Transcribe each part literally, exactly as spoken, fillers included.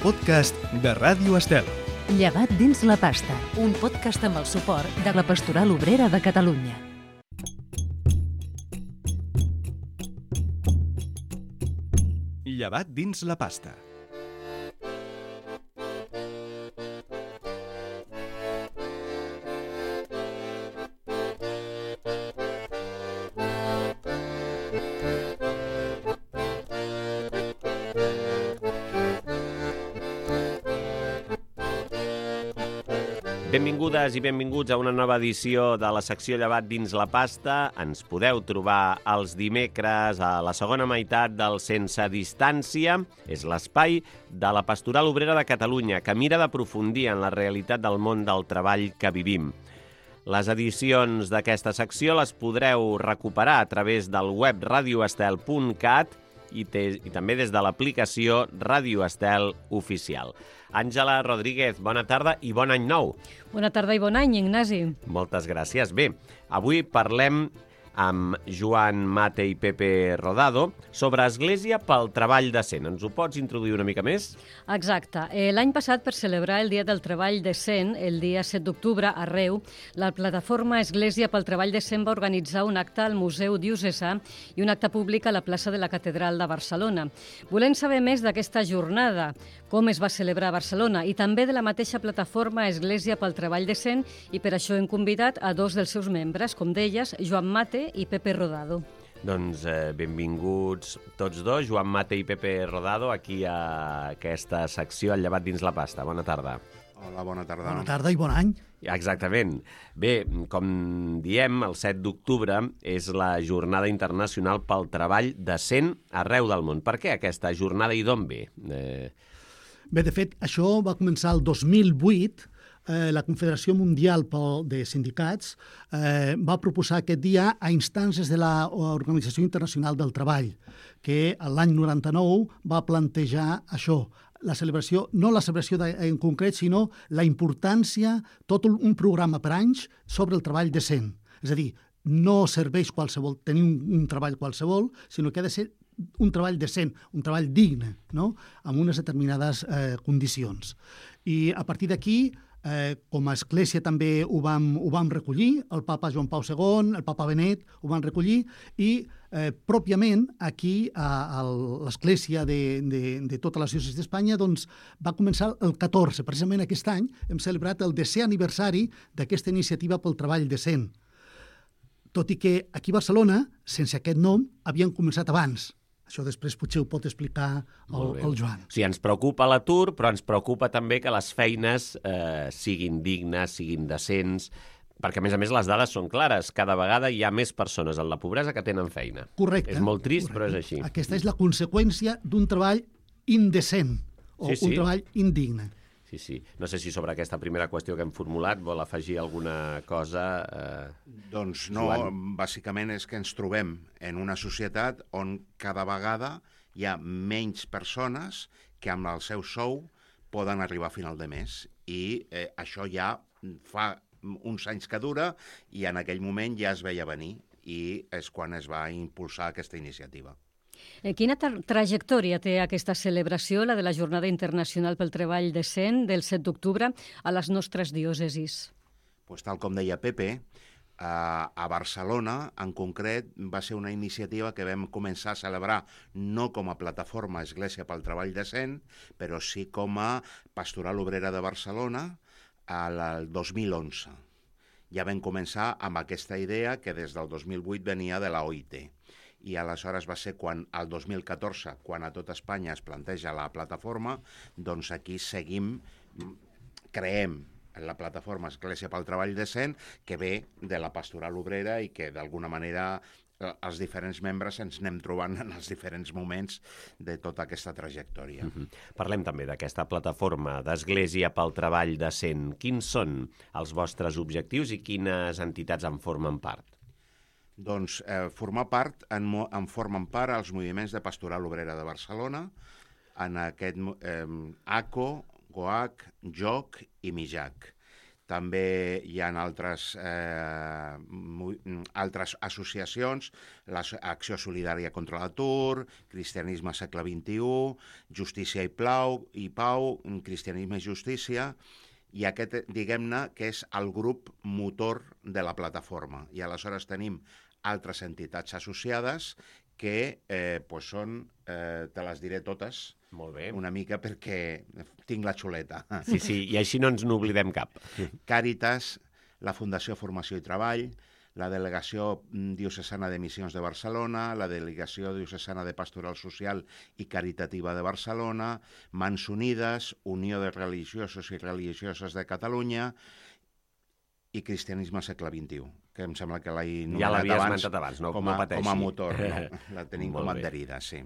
podcast de Ràdio Estel. Llevat dins la pasta, un podcast amb el suport de la Pastoral Obrera de Catalunya. Llevat dins la pasta. Benvingudes i benvinguts a una nova edició de la secció Llevat dins la pasta. Ens podeu trobar els dimecres a la segona meitat del Sense Distància. És l'espai de la Pastoral Obrera de Catalunya, que mira d'aprofundir en la realitat del món del treball que vivim. Les edicions d'aquesta secció les podreu recuperar a través del web radio estel punt cat i, te, i també des de l'aplicació Ràdio Estel Oficial. Àngela Rodríguez, bona tarda i bon any nou. Bona tarda i bon any, Ignasi. Moltes gràcies. Bé, avui parlem amb Joan Mate i Pepe Rodado sobre Església pel Treball Decent. Ens ho pots introduir una mica més? Exacte. Eh, L'any passat, per celebrar el Dia del Treball Decent, el dia set d'octubre, a Reu, la plataforma Església pel Treball Decent va organitzar un acte al Museu Diocesà i un acte públic a la plaça de la Catedral de Barcelona. Volem saber més d'aquesta jornada, com es va celebrar a Barcelona, i també de la mateixa plataforma Església pel Treball Decent, i per això hem convidat a dos dels seus membres, com deies, Joan Mate i Pepe Rodado. Doncs eh, benvinguts tots dos, Joan Mate i Pepe Rodado, aquí a aquesta secció al Llevat dins la pasta. Bona tarda. Hola, bona tarda. Bona tarda i bon any. Exactament. Bé, com diem, el set d'octubre és la Jornada Internacional pel Treball Decent arreu del món. Per què aquesta jornada i d'on ve? Eh... Bé, de fet, això va començar el dos mil vuit. Eh, la Confederació Mundial de Sindicats eh, va proposar aquest dia a instàncies de l'Organització Internacional del Treball, que l'any noranta-nou va plantejar això, la celebració, no la celebració de, en concret, sinó la importància, tot un programa per anys sobre el treball decent. És a dir, no serveix qualsevol, tenir un, un treball qualsevol, sinó que ha de ser un treball decent, un treball digne, no? Amb unes determinades eh, condicions. I a partir d'aquí, Eh, com a església també ho vam, ho vam recollir, el papa Joan Pau segon, el papa Benet ho van recollir i eh, pròpiament aquí a, a l'església de, de, de tota la diòcesi d'Espanya doncs, va començar el catorze, precisament aquest any hem celebrat el desè aniversari d'aquesta iniciativa pel treball decent. Tot i que aquí a Barcelona, sense aquest nom, havien començat abans. Això després potser ho pot explicar el, el Joan. O sigui, ens preocupa l'atur, però ens preocupa també que les feines eh, siguin dignes, siguin decents, perquè, a més a més, les dades són clares. Cada vegada hi ha més persones en la pobresa que tenen feina. Correcte. És molt trist, correcte. Però és així. Aquesta és la conseqüència d'un treball indecent o sí, sí. un treball indigne. Sí, sí. No sé si sobre aquesta primera qüestió que hem formulat vol afegir alguna cosa. Eh... Doncs no, Joan. bàsicament és que ens trobem en una societat on cada vegada hi ha menys persones que amb el seu sou poden arribar a final de mes. I eh, això ja fa uns anys que dura i en aquell moment ja es veia venir i és quan es va impulsar aquesta iniciativa. Quina tra trajectòria té aquesta celebració, la de la Jornada Internacional pel Treball Decent del set d'octubre, a les nostres diòcesis? Pues, tal com deia Pepe, a Barcelona, en concret, va ser una iniciativa que vam començar a celebrar no com a plataforma Església pel Treball Decent, però sí com a Pastoral Obrera de Barcelona al dos mil onze. Ja vam començar amb aquesta idea que des del dos mil vuit venia de la O I T. I aleshores va ser quan, el dos mil catorze, quan a tot Espanya es planteja la plataforma, doncs aquí seguim, creem la plataforma Església pel Treball Decent, que ve de la Pastoral Obrera i que d'alguna manera els diferents membres ens anem trobant en els diferents moments de tota aquesta trajectòria. Uh-huh. Parlem també d'aquesta plataforma d'Església pel Treball Decent. Quins són els vostres objectius i quines entitats en formen part? Doncs eh, formar part, en, en formen part els moviments de Pastoral Obrera de Barcelona, en aquest eh, A C O, GOAC, JOC i MIJAC. També hi ha altres, eh, altres associacions, l'Acció Solidària contra l'Atur, Cristianisme segle vint-i-u, Justícia i Pau, i Pau, Cristianisme i Justícia, i aquest, diguem-ne, que és el grup motor de la plataforma. I aleshores tenim altres entitats associades que eh, pues són, eh, te les diré totes, molt bé, una mica perquè tinc la xuleta. Sí, sí, i així no ens n'oblidem cap. Càritas, la Fundació Formació i Treball, la Delegació Diocesana de Missions de Barcelona, la Delegació Diocesana de Pastoral Social i Caritativa de Barcelona, Mans Unides, Unió de Religiosos i Religioses de Catalunya i Cristianisme segle vint-i-u, que em sembla que l'he ja l'havies abans, esmentat abans, no, com, a, no pateixi. com a motor, no? La tenim com a bé. adherida, sí.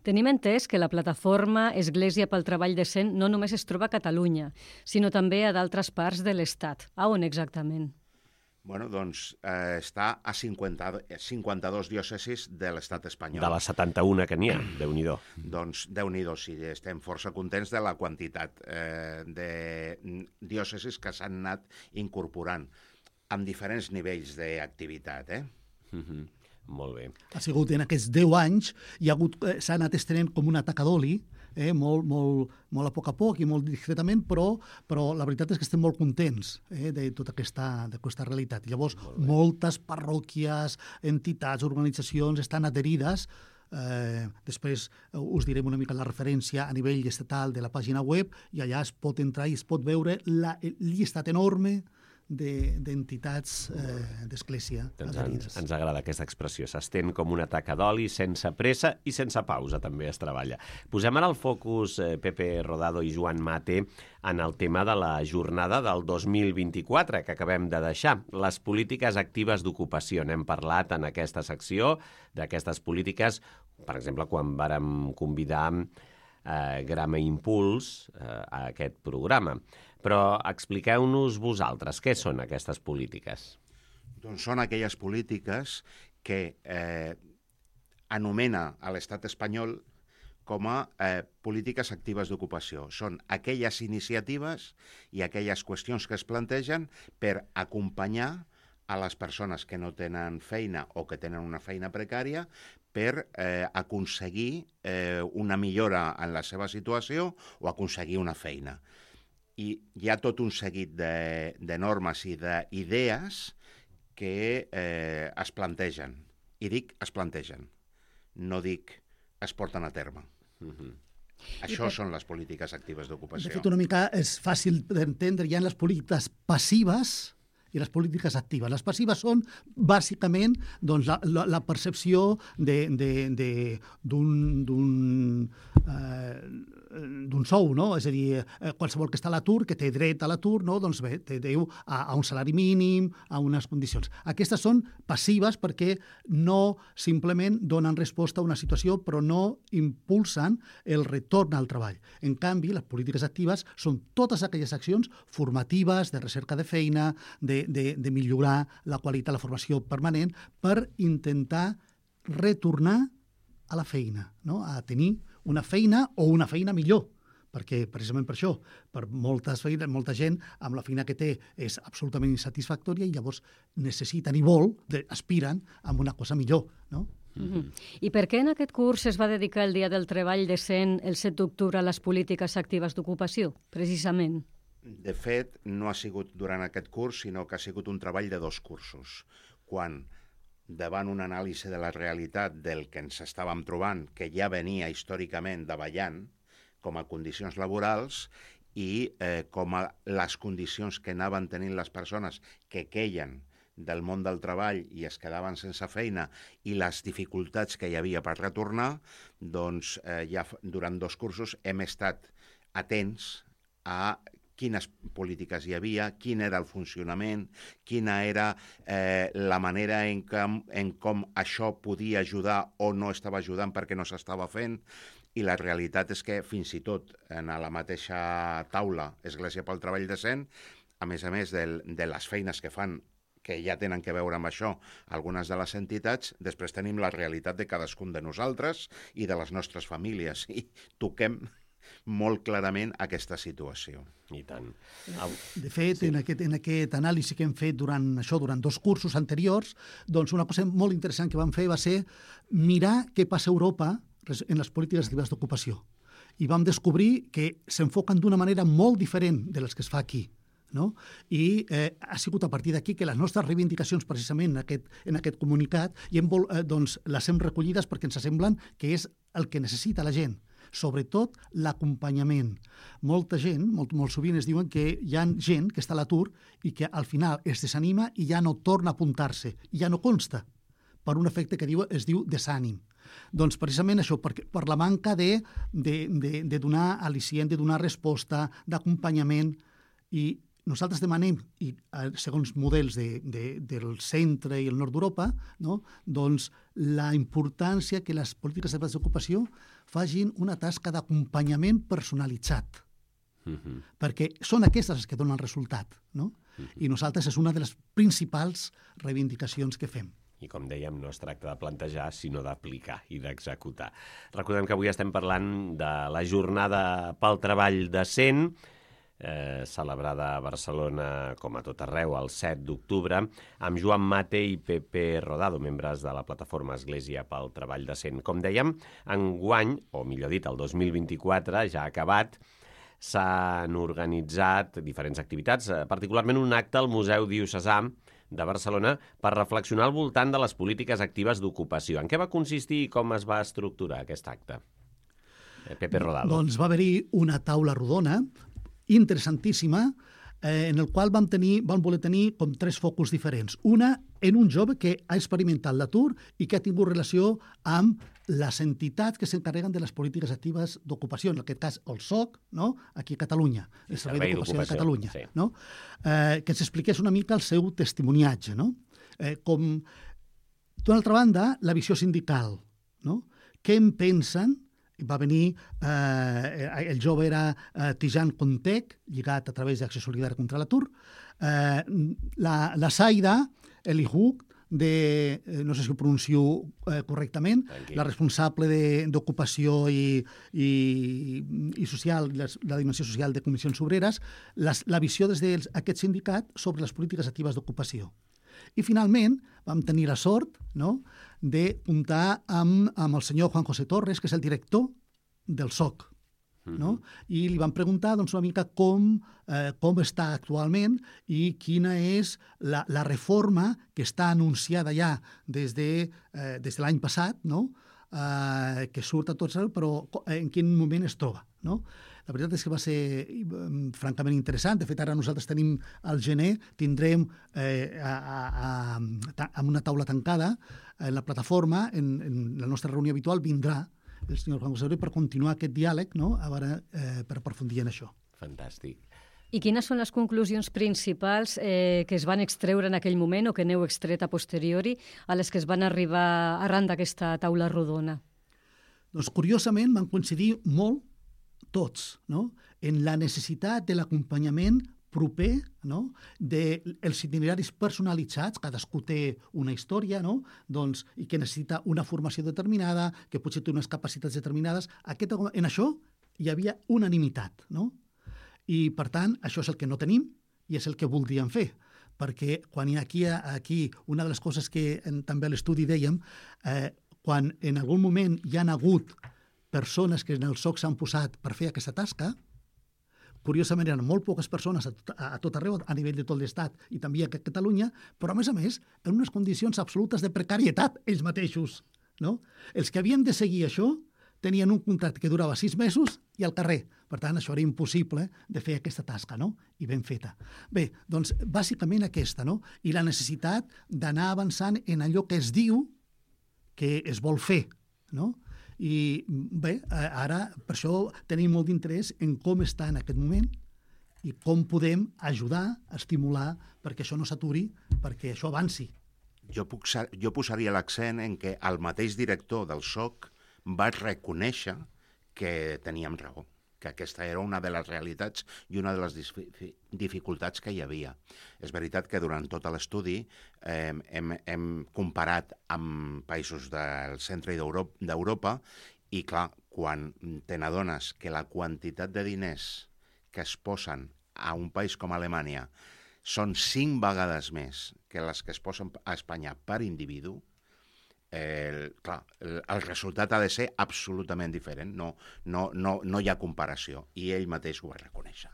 Tenim entès que la plataforma Església pel Treball Decent no només es troba a Catalunya, sinó també a d'altres parts de l'Estat. A on exactament? Bueno, doncs eh, està a cinquanta, cinquanta-dos diòcesis de l'estat espanyol. De les setanta-una que n'hi ha, Déu-n'hi-do. Doncs Déu-n'hi-do, sí, estem força contents de la quantitat eh, de diòcesis que s'han anat incorporant amb diferents nivells d'activitat, eh? Mm-hmm. Molt bé. Ha sigut en aquests deu anys, hi ha hagut, eh, s'ha anat estenent com una taca d'oli, eh, molt, molt, molt a poc a poc i molt discretament, però, però la veritat és que estem molt contents eh, de tota aquesta, aquesta realitat. Llavors, moltes parròquies, entitats, organitzacions estan adherides. Eh, després us direm una mica la referència a nivell estatal de la pàgina web i allà es pot entrar i es pot veure la, el llistat enorme d'entitats eh, d'església doncs adherides. ens, ens agrada aquesta expressió. S'estén com una taca d'oli, sense pressa i sense pausa, també es treballa. Posem ara el focus, eh, Pepe Rodado i Joan Mate, en el tema de la jornada del dos mil vint-i-quatre que acabem de deixar. Les polítiques actives d'ocupació. N'hem parlat en aquesta secció d'aquestes polítiques, per exemple, quan vàrem convidar eh, Grama Impuls eh, a aquest programa. Però expliqueu-nos vosaltres, què són aquestes polítiques? Doncs són aquelles polítiques que eh, anomena a l'estat espanyol com a eh, polítiques actives d'ocupació. Són aquelles iniciatives i aquelles qüestions que es plantegen per acompanyar a les persones que no tenen feina o que tenen una feina precària per eh, aconseguir eh, una millora en la seva situació o aconseguir una feina. I hi ha tot un seguit de, de normes i d'idees que eh, es plantegen. I dic es plantegen, no dic es porten a terme. Mm-hmm. Això per... són les polítiques actives d'ocupació. De fet, una mica és fàcil d'entendre. Hi ha les polítiques passives i les polítiques actives. Les passives són, bàsicament, doncs, la, la, la percepció d'un eh, d'un sou, no? És a dir, eh, qualsevol que està a l'atur, que té dret a l'atur, no? Doncs bé, té deu a, a un salari mínim, a unes condicions. Aquestes són passives perquè no simplement donen resposta a una situació, però no impulsen el retorn al treball. En canvi, les polítiques actives són totes aquelles accions formatives, de recerca de feina, de, de, de millorar la qualitat, la formació permanent, per intentar retornar a la feina, no? A tenir una feina o una feina millor, perquè precisament per això, per moltes feines, molta gent amb la feina que té és absolutament insatisfactòria i llavors necessiten i vol, aspiren a una cosa millor, no? Mm-hmm. I per què en aquest curs es va dedicar el Dia del Treball Decent el set d'octubre a les polítiques actives d'ocupació, precisament? De fet, no ha sigut durant aquest curs, sinó que ha sigut un treball de dos cursos. Quan davant una anàlisi de la realitat del que ens estàvem trobant, que ja venia històricament davallant com a condicions laborals i eh, com a les condicions que anaven tenint les persones que queien del món del treball i es quedaven sense feina i les dificultats que hi havia per retornar, doncs eh, ja durant dos cursos hem estat atents a quines polítiques hi havia, quin era el funcionament, quina era eh, la manera en, que, en com això podia ajudar o no estava ajudant perquè no s'estava fent. I la realitat és que fins i tot en la mateixa taula Església pel Treball Decent, a més a més de, de les feines que fan, que ja tenen que veure amb això, algunes de les entitats, després tenim la realitat de cadascun de nosaltres i de les nostres famílies. I toquem molt clarament aquesta situació. I tant. De fet, sí. en, aquest, en aquest anàlisi que hem fet durant això, durant dos cursos anteriors, doncs una cosa molt interessant que vam fer va ser mirar què passa a Europa en les polítiques actives d'ocupació. I vam descobrir que s'enfoquen d'una manera molt diferent de les que es fa aquí. No? I eh, ha sigut a partir d'aquí que les nostres reivindicacions precisament en aquest, en aquest comunicat i hem vol, eh, doncs, les hem recollides perquè ens semblen que és el que necessita la gent, sobretot l'acompanyament. Molta gent, molt, molt sovint es diuen que hi ha gent que està a l'atur i que al final es desanima i ja no torna a apuntar-se, i ja no consta, per un efecte que diu, es diu desànim. Doncs precisament això, per, per la manca de, de, de, de donar al·licient, de donar resposta, d'acompanyament, i nosaltres demanem, i segons models de, de, del centre i el nord d'Europa, no? doncs la importància que les polítiques d'ocupació facin una tasca d'acompanyament personalitzat, uh-huh. perquè són aquestes les que donen el resultat. No? Uh-huh. I nosaltres és una de les principals reivindicacions que fem. I com dèiem, no es tracta de plantejar, sinó d'aplicar i d'executar. Recordem que avui estem parlant de la jornada pel treball decent, Eh, celebrada a Barcelona, com a tot arreu, el set d'octubre, amb Joan Mate i Pepe Rodado, membres de la plataforma Església pel Treball Decent. Com dèiem, enguany, o millor dit, el dos mil vint-i-quatre, ja acabat, s'han organitzat diferents activitats, particularment un acte al Museu Diocesà de Barcelona per reflexionar al voltant de les polítiques actives d'ocupació. En què va consistir i com es va estructurar aquest acte? Pepe Rodado. Doncs va haver-hi una taula rodona interessantíssima, eh, en el qual vam, tenir, vam voler tenir com tres focus diferents. Una, en un jove que ha experimentat l'atur i que ha tingut relació amb les entitats que s'encarreguen de les polítiques actives d'ocupació, en aquest cas el S O C, no? Aquí a Catalunya, el Servei d'Ocupació de Catalunya. Sí. No? Eh, que ens expliqués una mica el seu testimoniatge. No? Eh, com, d'una altra banda, la visió sindical. No? Què en pensen? Va venir, eh, el jove era eh, Tijan Contec, lligat a través d'Acció Solidària contra l'atur, eh, la, la Saida Elihuk, de, eh, no sé si ho pronuncio eh, correctament, Tranquil. La responsable d'ocupació i, i, i social, les, la dimensió social de Comissions Obreres, les, la visió des d'aquest sindicat sobre les polítiques actives d'ocupació. I finalment vam tenir la sort, no?, de comptar amb, amb el senyor Juan José Torres, que és el director del S O C. No? I li van preguntar doncs, una mica com, eh, com està actualment i quina és la, la reforma que està anunciada ja des de, eh, des de l'any passat, no? eh, que surt a tots, però en quin moment es troba. No? La veritat és que va ser um, francament interessant. De fet, ara nosaltres tenim al gener, tindrem eh, a, a, a, amb una taula tancada en la plataforma, en, en la nostra reunió habitual, vindrà el senyor Juan José per continuar aquest diàleg, no? A veure, eh, per aprofundir en això. Fantàstic. I quines són les conclusions principals eh, que es van extreure en aquell moment o que n'heu extret a posteriori a les que es van arribar arran d'aquesta taula rodona? Doncs, curiosament, van coincidir molt tots, no? En la necessitat de l'acompanyament proper, no? dels itineraris personalitzats, cadascú té una història, no? doncs, i que necessita una formació determinada, que potser té unes capacitats determinades. Aquest, en això hi havia unanimitat, no? I, per tant, això és el que no tenim i és el que voldríem fer, perquè quan hi ha aquí, aquí una de les coses que en, també a l'estudi dèiem, eh, quan en algun moment hi han hagut persones que en el S O C s'han posat per fer aquesta tasca, curiosament eren molt poques persones a tot, a tot arreu, a nivell de tot l'Estat i també a Catalunya, però a més a més en unes condicions absolutes de precarietat ells mateixos. No? Els que havien de seguir això tenien un contracte que durava sis mesos i al carrer. Per tant, això era impossible de fer aquesta tasca, no? I ben feta. Bé, doncs, bàsicament aquesta, no? I la necessitat d'anar avançant en allò que es diu que es vol fer, no? I bé, ara per això tenim molt d'interès en com està en aquest moment i com podem ajudar, estimular perquè això no s'aturi, perquè això avanci. Jo, puc, jo posaria l'accent en que el mateix director del S O C va reconèixer que teníem raó, que aquesta era una de les realitats i una de les dificultats que hi havia. És veritat que durant tot l'estudi eh, hem, hem comparat amb països del centre d'Europa i, clar, quan te n'adones que la quantitat de diners que es posen a un país com Alemanya són cinc vegades més que les que es posen a Espanya per individu, el, clar, el, el resultat ha de ser absolutament diferent. No, no, no, no hi ha comparació, i ell mateix ho va reconèixer.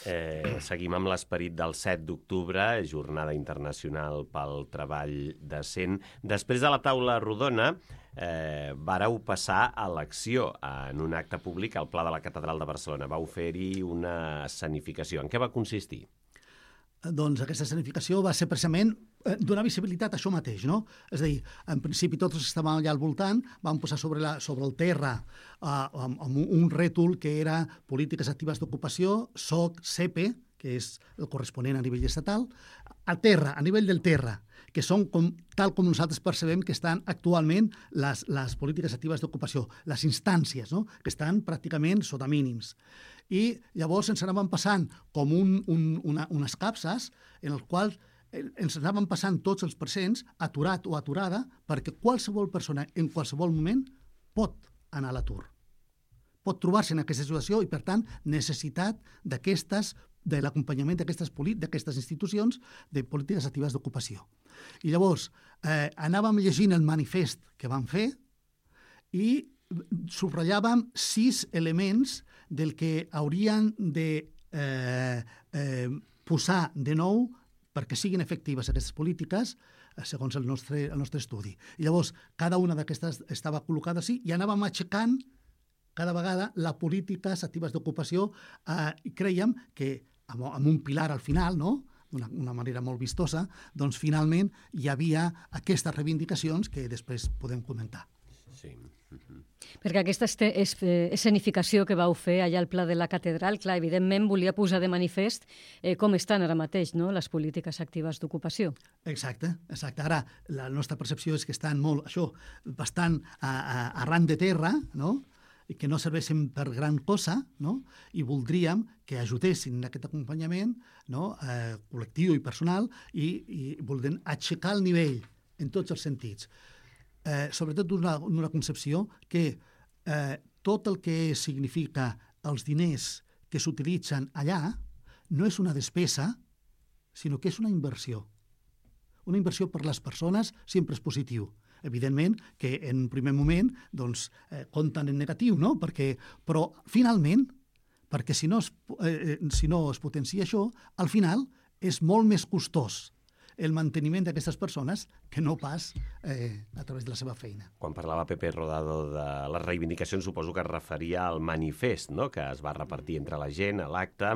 Eh, seguim amb l'esperit del set d'octubre, Jornada Internacional pel Treball Decent. Després de la taula rodona, eh, vareu passar a l'acció en un acte públic al Pla de la Catedral de Barcelona. Vau fer-hi una escenificació. En què va consistir? Doncs aquesta escenificació va ser precisament eh, donar visibilitat a això mateix, no? És a dir, en principi tots els que estàvem allà al voltant vam posar sobre, la, sobre el terra eh, amb, amb un, un rètol que era Polítiques Actives d'Ocupació, S O C, C E P E, que és el corresponent a nivell estatal, a terra, a nivell del terra, que són com, tal com nosaltres percebem que estan actualment les, les polítiques actives d'ocupació, les instàncies, no? Que estan pràcticament sota mínims. I llavors ens anaven passant com un, un, una, unes capses en els quals ens anaven passant tots els presents, aturat o aturada, perquè qualsevol persona en qualsevol moment pot anar a l'atur. Pot trobar-se en aquesta situació i, per tant, necessitat d'aquestes de l'acompanyament d'aquestes d'aquestes institucions de polítiques actives d'ocupació. I llavors eh, anàvem llegint el manifest que vam fer i subratllàvem sis elements del que haurien de eh, eh, posar de nou perquè siguin efectives aquestes polítiques eh, segons el nostre, el nostre estudi. I llavors, cada una d'aquestes estava col·locada així i anàvem aixecant cada vegada les polítiques actives d'ocupació eh, i creiem que amb, amb un pilar al final, no?, d'una una manera molt vistosa, doncs finalment hi havia aquestes reivindicacions que després podem comentar. Sí. Uh-huh. Perquè aquesta escenificació que vau fer allà al Pla de la Catedral, clar, evidentment volia posar de manifest eh, com estan ara mateix, no?, les polítiques actives d'ocupació. Exacte, exacte. Ara, la nostra percepció és que estan molt, això, bastant a, a, arran de terra, no?, i que no serveixen per gran cosa, no?, i voldríem que ajudessin en aquest acompanyament, no?, eh, col·lectiu i personal, i, i voldrem aixecar el nivell en tots els sentits. Eh, sobretot d'una una concepció que eh, tot el que significa els diners que s'utilitzen allà no és una despesa, sinó que és una inversió. Una inversió per les persones sempre és positiu. Evidentment que en un primer moment doncs, eh, compten en negatiu, no? Perquè, però finalment, perquè si no, es, eh, si no es potencia això, al final és molt més costós el manteniment d'aquestes persones que no pas eh, a través de la seva feina. Quan parlava Pepe Rodado de les reivindicacions, suposo que es referia al manifest, no?, que es va repartir entre la gent a l'acte.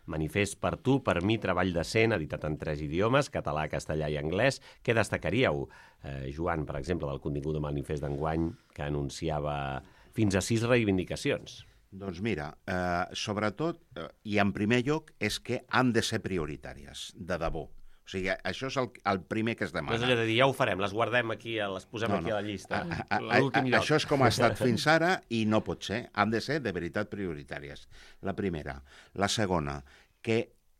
Manifest per tu, per mi, treball decent, editat en tres idiomes, català, castellà i anglès. Què destacaríeu, eh, Joan, per exemple, del contingut del manifest d'enguany, que anunciava fins a sis reivindicacions? Doncs mira, eh, sobretot, eh, i en primer lloc, és que han de ser prioritàries, de debò. O sigui, això és el, el primer que es demana. No és allò de dir, ja ho farem, les guardem aquí, les posem no, aquí no. a la llista. A, a, a, a, això és com ha estat fins ara i no pot ser. Han de ser de veritat prioritàries. La primera. La segona, que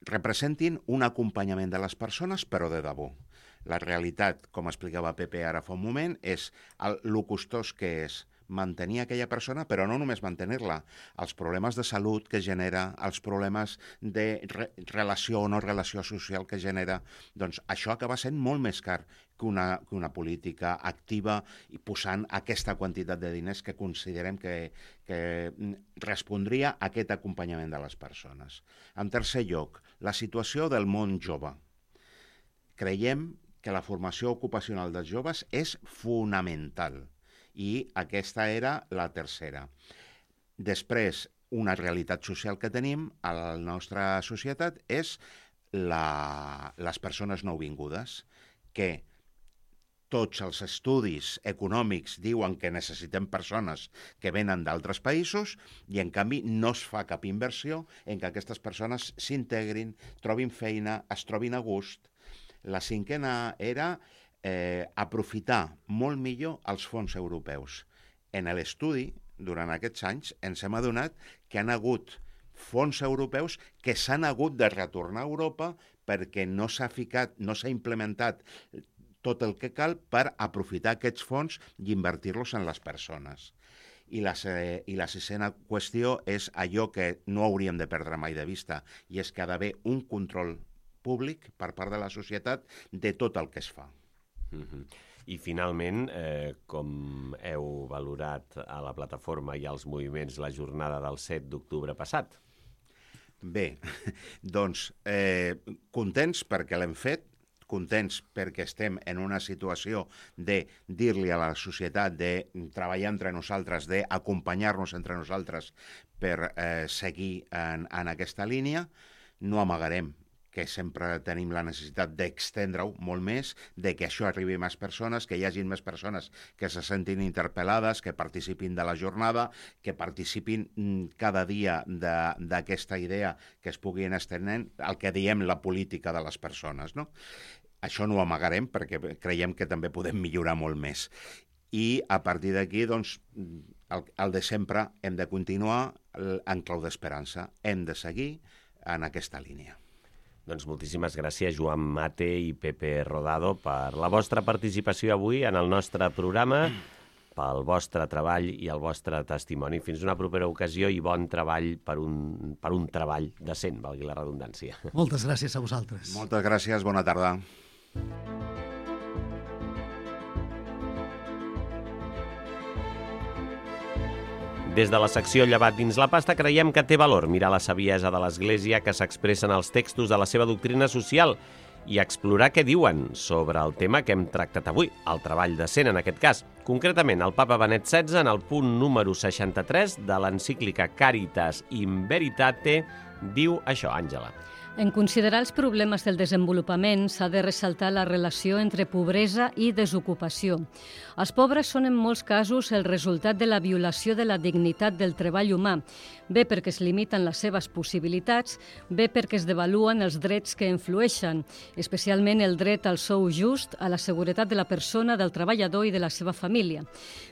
representin un acompanyament de les persones, però de debò. La realitat, com explicava Pepe ara fa un moment, és el, el costós que és mantenir aquella persona, però no només mantenir-la, els problemes de salut que genera, els problemes de re relació o no relació social que genera, doncs això acaba sent molt més car que una, que una política activa i posant aquesta quantitat de diners que considerem que, que respondria a aquest acompanyament de les persones. En tercer lloc, la situació del món jove. Creiem que la formació ocupacional dels joves és fonamental. I aquesta era la tercera. Després, una realitat social que tenim a la nostra societat és la, les persones nouvingudes, que tots els estudis econòmics diuen que necessitem persones que venen d'altres països i, en canvi, no es fa cap inversió en que aquestes persones s'integrin, trobin feina, es trobin a gust. La cinquena era Eh, aprofitar molt millor els fons europeus. En l'estudi, durant aquests anys, ens hem adonat que han hagut fons europeus que s'han hagut de retornar a Europa perquè no s'ha ficat, no s'ha implementat tot el que cal per aprofitar aquests fons i invertir-los en les persones. I la, I la sisena qüestió és allò que no hauríem de perdre mai de vista, i és que ha d'haver un control públic per part de la societat de tot el que es fa. Mm-hmm. I finalment, eh, com heu valorat a la plataforma i als moviments la jornada del set d'octubre passat? Bé, doncs eh, contents perquè l'hem fet, contents perquè estem en una situació de dir-li a la societat de treballar entre nosaltres, d'acompanyar-nos entre nosaltres per eh, seguir en, en aquesta línia. No amagarem que sempre tenim la necessitat d'extendre-ho molt més, de que això arribi a més persones, que hi hagi més persones que se sentin interpel·lades, que participin de la jornada, que participin cada dia d'aquesta idea que es pugui anar estenent, el que diem la política de les persones, no? Això no ho amagarem perquè creiem que també podem millorar molt més. I a partir d'aquí, doncs, el, el de sempre hem de continuar en clau d'esperança. Hem de seguir en aquesta línia. Doncs moltíssimes gràcies, Joan Mate i Pepe Rodado, per la vostra participació avui en el nostre programa, pel vostre treball i el vostre testimoni. Fins una propera ocasió i bon treball per un, per un treball decent, valgui la redundància. Moltes gràcies a vosaltres. Moltes gràcies, bona tarda. Des de la secció Llevat dins la pasta creiem que té valor mirar la saviesa de l'Església que s'expressa en els textos de la seva doctrina social i explorar què diuen sobre el tema que hem tractat avui, el treball decent en aquest cas. Concretament, el papa Benet setze, en el punt número seixanta-tres de l'encíclica Caritas in Veritate, diu això, Àngela. En considerar els problemes del desenvolupament s'ha de ressaltar la relació entre pobresa i desocupació. Els pobres són en molts casos el resultat de la violació de la dignitat del treball humà, bé perquè es limiten les seves possibilitats, bé perquè es devaluen els drets que influeixen, especialment el dret al sou just, a la seguretat de la persona, del treballador i de la seva família.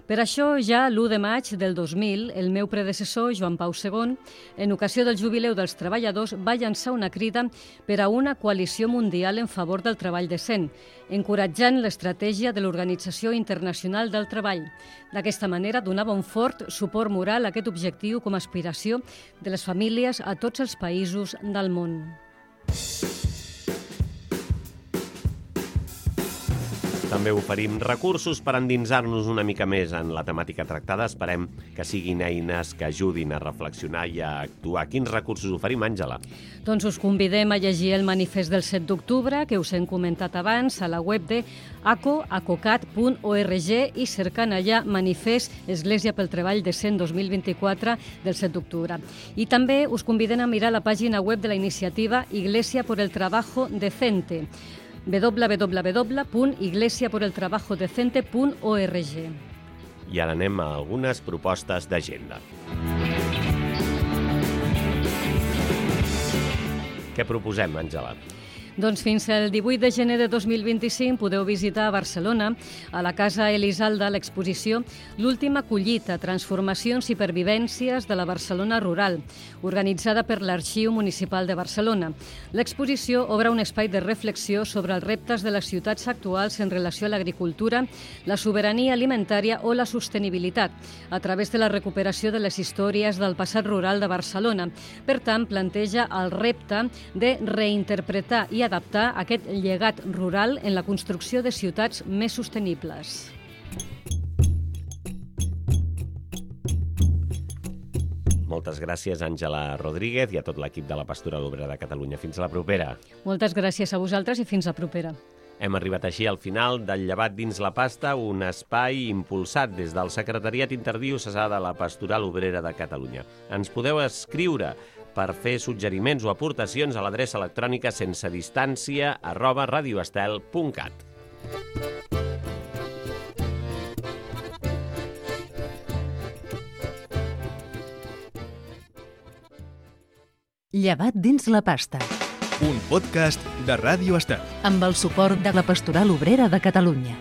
Per això, ja l'u de maig del dos mil, el meu predecessor, Joan Pau segon, en ocasió del jubileu dels treballadors, va llançar una crida per a una coalició mundial en favor del treball decent, encoratjant l'estratègia de l'Organització Internacional del Treball. D'aquesta manera, donava un fort suport moral a aquest objectiu com a aspiració de les famílies a tots els països del món. També oferim recursos per endinsar-nos una mica més en la temàtica tractada. Esperem que siguin eines que ajudin a reflexionar i a actuar. Quins recursos oferim, Àngela? Doncs us convidem a llegir el manifest del set d'octubre, que us hem comentat abans, a la web de aco acocat punt org i cercant allà Manifest Església pel Treball Decent dos mil vint-i-quatre del set d'octubre. I també us convidem a mirar la pàgina web de la iniciativa Iglesia por el Trabajo Decente, w w w punt iglesia por el trabajo decente punt org. I ara anem a algunes propostes d'agenda. Què proposem, Àngela? Doncs fins al divuit de gener de dos mil vint-i-cinc podeu visitar a Barcelona, a la Casa Elisalda, l'exposició L'última collita, transformacions i pervivències de la Barcelona rural, organitzada per l'Arxiu Municipal de Barcelona. L'exposició obre un espai de reflexió sobre els reptes de les ciutats actuals en relació a l'agricultura, la sobirania alimentària o la sostenibilitat, a través de la recuperació de les històries del passat rural de Barcelona. Per tant, planteja el repte de reinterpretar i adaptar aquest llegat rural en la construcció de ciutats més sostenibles. Moltes gràcies, Àngela Rodríguez, i a tot l'equip de la Pastoral Obrera de Catalunya. Fins a la propera. Moltes gràcies a vosaltres i fins a propera. Hem arribat així al final del Llevat dins la pasta, un espai impulsat des del Secretariat Interdiocesà de la Pastoral Obrera de Catalunya. Ens podeu escriure per fer suggeriments o aportacions a l'adreça electrònica sense distància arroba radioestel punt cat. Llevat dins la pasta. Un podcast de Ràdio Estel. Amb el suport de la Pastoral Obrera de Catalunya.